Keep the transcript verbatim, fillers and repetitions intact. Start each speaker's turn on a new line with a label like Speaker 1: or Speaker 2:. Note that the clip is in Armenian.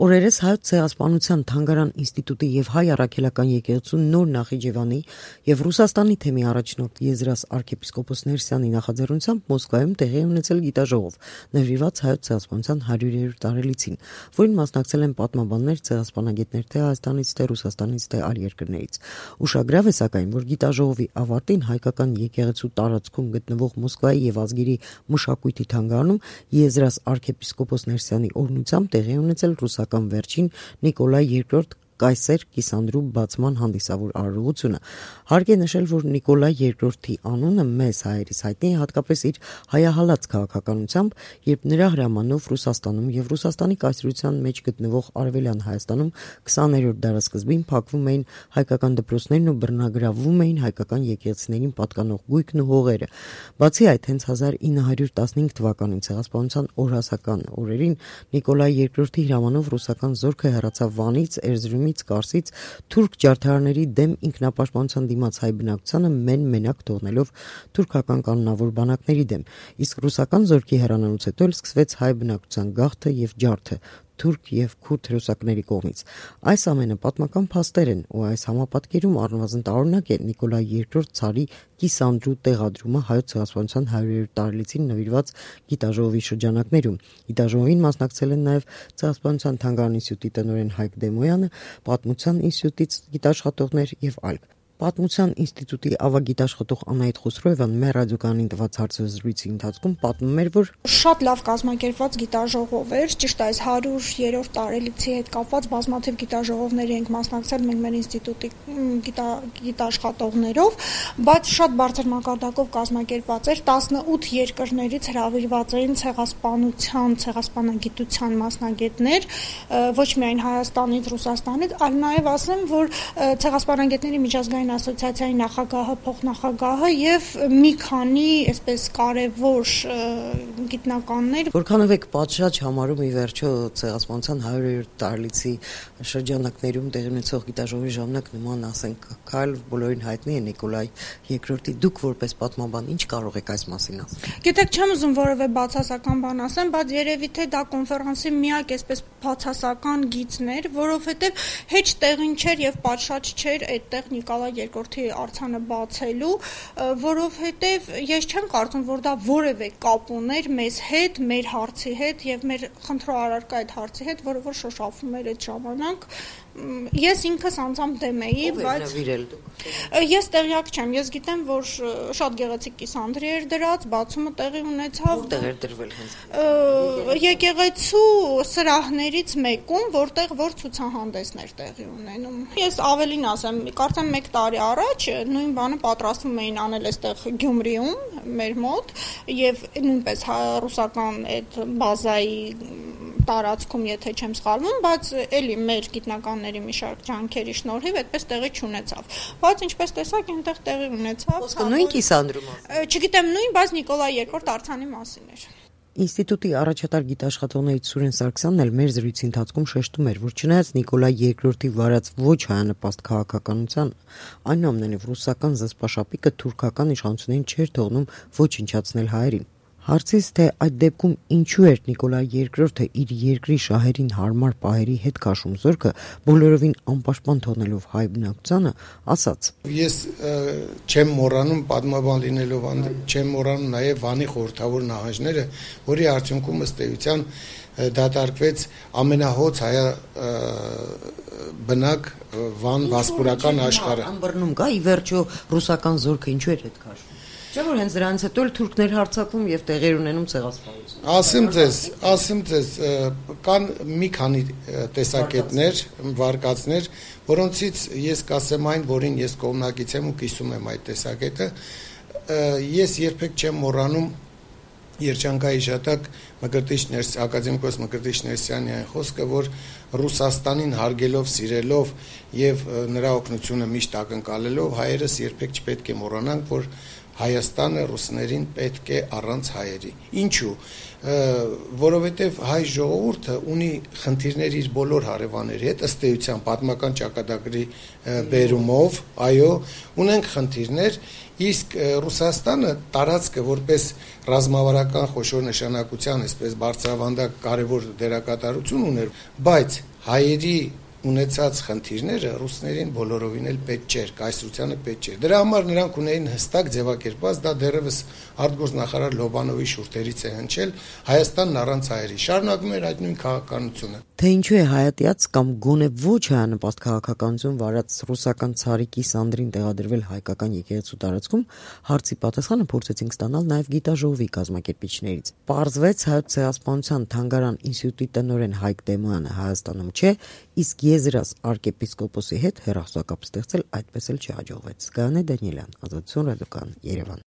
Speaker 1: Օրերս Հայոց ցեղասպանության թանգարան ինստիտուտի և Հայ առաքելական եկեղեցու նոր Նախիջևանի և Ռուսաստանի թեմի առաջնորդ Եզրաս arczepiskopos Ներսյանի նախաձեռնությամբ Մոսկվայում տեղի ունեցել գիտաժողով, նվիրված Հայոց ցեղասպանության հարյուրերորդ տարելիցին, որին մասնակցել են պատմաբաններ, ցեղասպանագետներ թե Հայաստանից, թե Ռուսաստանից, թե այլ երկրներից։ Ուշագրավ է սակայն, որ գիտաժողովի ավարտին հայկական եկեղեցու տարածքում գտնվող Մոսկվայի և ազգերի մշակույթի թանգարանում Եզրաս arczepiskopos Ներսյանի օրհնությամբ տեղի ունեցել ռուսական վերջին Նիկոլայ երկրորդ կայսեր Կիսանդրու բացման հանդիսավոր արարողությունը։ Հարկ է նշել, որ Նիկոլայ երկրորդի անունը մեզ հայերիս հայտնի է հատկապես իր հայահալած քաղաքականությամբ, երբ նրա հրամանով Ռուսաստանում և Ռուսաստանի կայսրության մեջ գտնվող Արևելյան Հայաստանում քսաներորդ դարասկզբին փակվում էին հայկական դպրոցներն ու բռնագրավվում էին հայկական եկեղեցիներին պատկանող գույքն ու հողերը։ Բացի այդ, հենց հազար ինը հարյուր տասնհինգ թվականին ցեղասպանության օրհասական օրերին Նիկոլայ երկրորդի հրամանով ռուսական զորքը հեռացավ Վանից, Էրզրումից, Կարսից թուրք ջարդարների դեմ ինքնապաշտպանության դիմաց հայ բնակչությանը մեն-մենակ թողնելով թուրքական կանոնավոր բանակների դեմ, իսկ ռուսական զորքի հեռանալուց հետո էլ սկսվեց հայ բնակչության գաղթը և ջարդը թուրք և քուրդ հրոսակների կողմից։ Այս ամենը պատմական փաստեր են, ու այս համապատկերում առնվազն տարօրինակ է Նիկոլայ երկրորդ ցարի Կիսանդրու տեղադրումը Հայոց ցեղասպանության հարյուրերորդ տարելիցին նվիրված գիտաժողովի շրջանակներում։ Գիտաժողովին մասնակցել են նաև Ցեղասպանության թանգարան ինստիտուտի տնօրեն Հայկ Դեմոյանը, Պատմության ինստիտուտից գիտաշխատողներ և այլք։ Պատմության ինստիտուտի ավագ գիտաշխատող Անահիտ Խոսրոևան մեր ռադիոկայանին տված հարցազրույցի ընթացքում պատմում էր, որ
Speaker 2: շատ լավ կազմակերպված գիտաժողով էր, ճիշտ այս հարյուրերորդ տարելիցի հետ կապված բազմաթիվ գիտաժողովների ենք մասնակցել մենք մեր ինստիտուտի գիտաշխատողներով, բայց շատ բարձր մակարդակով կազմակերպված էր, տասնութ երկրներից հրավիրված էին ցեղասպանության, ցեղասպանագիտության մասնագետներ, ոչ միայն Հայաստանից, Ռուսաստանից, այլ նաև ասեմ, որ ցեղասպանագետների միջազգային ասոցիացիայի նախագահը, փոխնախագահը եւ մի քանի այսպես կարևոր գիտնականներ։
Speaker 1: Որքանով եք պատշաճ համարում ի վերջո ցեղասպանության հարյուրերորդ տարելիցի շրջանակներում տեղի ունեցող գիտաժողովի ժամանակ նման, ասենք, քայլ բոլորին հայտնի է Նիկոլայ երկրորդի, դուք որպես պատմաբան ինչ կարող եք այս մասին ասել։
Speaker 2: Գիտեք, չեմ ուզում որևէ բացասական բան ասեմ, բայց երևի թե դա կոնֆերանսի միակ այսպես բացասական գիծն էր, որովհետեւ հեչ տեղին չէր եւ պատշաճ չէր այդտեղ Նիկոլայ երկրորդի արձանը բացելու, որովհետև ես չեմ կարծում, որ դա որևէ կապ ուներ մեզ հետ, մեր հարցի հետ եւ մեր խնդրո առարկա այդ հարցի հետ, որը որ շոշափում էր այդ ժամանակ։ Ես ինքս անձամբ դեմ էի, բայց ես տեղյակ չեմ, ես գիտեմ, որ շատ գեղեցիկ կիսանդրի էր դրած, բացումը տեղի ունեցավ
Speaker 1: տեղեր դրվել հենց
Speaker 2: եկեղեցու սրահներից մեկում, որտեղ որ ցուցահանդեսներ տեղի ունենում։ Ես ավելին ասեմ, կարծեմ մեկ տարի առաջ նույն բանը պատրաստվում էին անել այստեղ Գյումրիում մեր մոտ եւ նույնպես ռուսական այդ բազայի տարածքում, եթե չեմ սխալվում, բայց էլի մեր գիտնականների մի շարք ջանքերի շնորհիվ այդպես տեղի չունեցավ։ Բայց ինչպես տեսակ, այնտեղ տեղի ունեցավ։
Speaker 1: Ոսկե նույն Կիսանդրում։
Speaker 2: Չգիտեմ նույն, բայց Նիկոլայ երկրորդ արձանի մասին էր։
Speaker 1: Ինստիտուտի առաջատար գիտաշխատողներից Սուրեն Սարգսյանն էլ մեր զրույցի ընթացքում շեշտում էր, որ չնայած Նիկոլայ երկրորդի վարած ոչ հայանպաստ քաղաքականության, այնուամենայնիվ ռուսական զսպաշապիկը թուրքական իշխանություններին չէր թողնում ոչնչացնել հայերին։ Հարցից, թե այդ դեպքում ինչու էր Նիկոլայ երկրորդը իր երկրի շահերին հարմար պահերի հետ քաշում զորքը, բոլորովին անպաշտպան թողնելով հայ բնակչությանը, ասաց.
Speaker 3: Ես չեմ մոռանում պատմաբան լինելով, չեմ մոռանում նաև Վանի խորհրդավոր նահանջները, որի արդյունքում ըստ էության դատարկվեց ամենահոծ հայ բնակ Վան վասպուրական աշխարհը։
Speaker 1: Անբռնում կա, ի վերջո ռուսական զորքը ինչու էր հետ քաշում։ Չէ՞ որ հենց դրանից հետո էլ թուրքներ հարձակվում եւ տեղեր ունենում ցեղասպանություն։
Speaker 3: Ասեմ ձեզ, ասեմ ձեզ, կան մի քանի տեսակետներ, վարկածներ, որոնցից ես կասեմ այն, որին ես կողմնակից եմ ու կիսում եմ այդ տեսակետը։ Ես երբեք չեմ մոռանում Երջանկայի շատակ Մկրտիչ Ներսյանի, ակադեմիկոս Մկրտիչ Ներսյանի այն խոսքը, որ Ռուսաստանին հարգելով, սիրելով եւ նրա օգնությունը միշտ ակնկալելով հայերս երբեք չպետք է մոռանանք, որ Հայաստանը ռուսներին պետք է առանց հայերի։ Ինչու՞։ Որովհետև հայ ժողովուրդը ունի խնդիրներ իր բոլոր հարևանների հետ, ըստ էության պատմական ճակատագրի բերումով, այո, ունենք խնդիրներ, իսկ Ռուսաստանը տարածքը որպես ռազմավարական խոշոր նշանակության, այսպես բարձրավանդակ կարևոր դերակատարություն ուներ, բայց հայերի ունեցած խնդիրները ռուսներին բոլորովին էլ պետք չէր, կայսրությանը պետք չէր։ Դրա համար նրանք ունեին հստակ ձևակերպված, դա դեռևս արտգործնախարար Լոբանովի շուրթերից է հնչել, Հայաստանն առանց հայերի։ Շարունակում էր այդ նույն քաղաքականությունը։
Speaker 1: Թե ինչու է հայատյաց կամ գոնե ոչ հայանպաստ քաղաքականություն վարած ռուսական ցարիկի Սանդրին տեղադրվել հայկական եկեղեցու տարածքում, հարցի պատասխանը փորձեցինք ստանալ նաև գիտաժողովի կազմակերպիչներից։ Պարզվեց Հայոց ցեղասպանության թանգարան ինստիտուտի տնօրեն Հայկ Դեմոյանը Հայաստանում չէ, իսկ Եզրաս arczepiskopos-ի հետ հեռախոսակապ ստեղծել այդպես էլ չհաջողվեց։ Գայանե Դանիելյան, Ազատություն ռադիոկայան, Երևան։